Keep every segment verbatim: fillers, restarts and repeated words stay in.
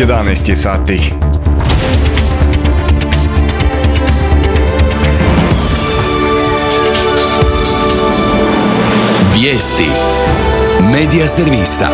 jedanaest je sati. Vijesti Medija servisa.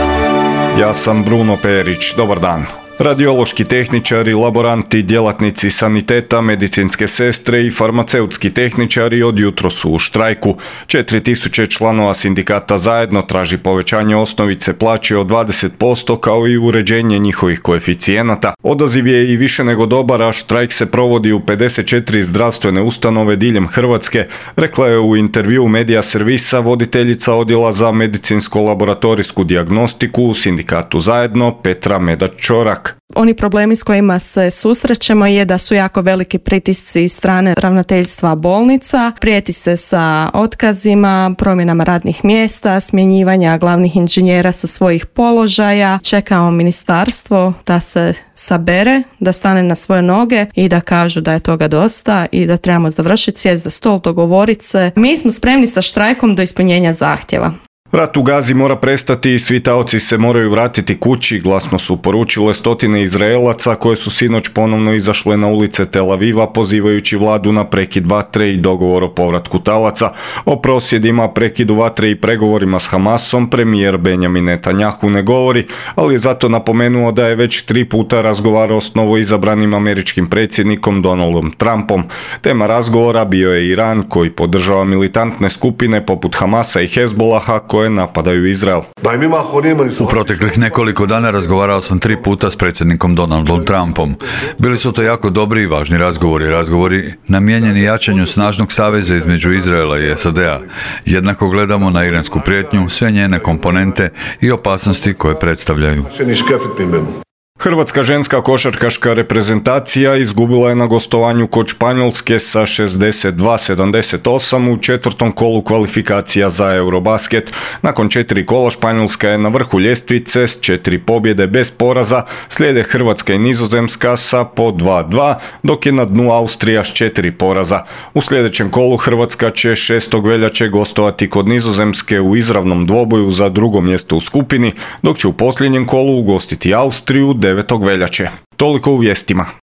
Ja sam Bruno Perić, dobar dan. Radiološki tehničari, laboranti, djelatnici saniteta, medicinske sestre i farmaceutski tehničari od jutro su u štrajku. četiri tisuće članova sindikata Zajedno traži povećanje osnovice plaće od dvadeset posto kao i uređenje njihovih koeficijenata. Odaziv je i više nego dobar, a štrajk se provodi u pedeset četiri zdravstvene ustanove diljem Hrvatske, rekla je u intervju Medija servisa voditeljica odjela za medicinsko-laboratorijsku dijagnostiku u sindikatu Zajedno Petra Medač-Čorak. Oni problemi s kojima se susrećemo je da su jako veliki pritisci iz strane ravnateljstva bolnica, prijeti se sa otkazima, promjenama radnih mjesta, smjenjivanja glavnih inženjera sa svojih položaja. Čekamo ministarstvo da se sabere, da stane na svoje noge i da kažu da je toga dosta i da trebamo završiti, sjest za stol, dogovoriti se. Mi smo spremni sa štrajkom do ispunjenja zahtjeva. Rat u Gazi mora prestati i svi taoci se moraju vratiti kući, glasno su poručile stotine Izraelaca koje su sinoć ponovno izašle na ulice Tel Aviva pozivajući vladu na prekid vatre i dogovor o povratku talaca. O prosvjedima, prekidu vatre i pregovorima s Hamasom premijer Benjamin Netanjahu ne govori, ali je zato napomenuo da je već tri puta razgovarao s novoizabranim američkim predsjednikom Donaldom Trumpom. Tema razgovora bio je Iran koji podržava militantne skupine poput Hamasa i Hezbolaha koje napadaju Izrael. U proteklih nekoliko dana razgovarao sam tri puta s predsjednikom Donaldom Trumpom. Bili su to jako dobri i važni razgovori, razgovori namijenjeni jačanju snažnog saveza između Izraela i S A D-a. Jednako gledamo na iransku prijetnju, sve njene komponente i opasnosti koje predstavljaju. Hrvatska ženska košarkaška reprezentacija izgubila je na gostovanju kod Španjolske sa šezdeset dva sedamdeset osam u četvrtom kolu kvalifikacija za Eurobasket. Nakon četiri kola Španjolska je na vrhu ljestvice s četiri pobjede bez poraza, slijede Hrvatska i Nizozemska sa po dva dva, dok je na dnu Austrija s četiri poraza. U sljedećem kolu Hrvatska će šestog veljače gostovati kod Nizozemske u izravnom dvoboju za drugo mjesto u skupini, dok će u posljednjem kolu ugostiti Austriju devetog veljače. Toliko u vijestima.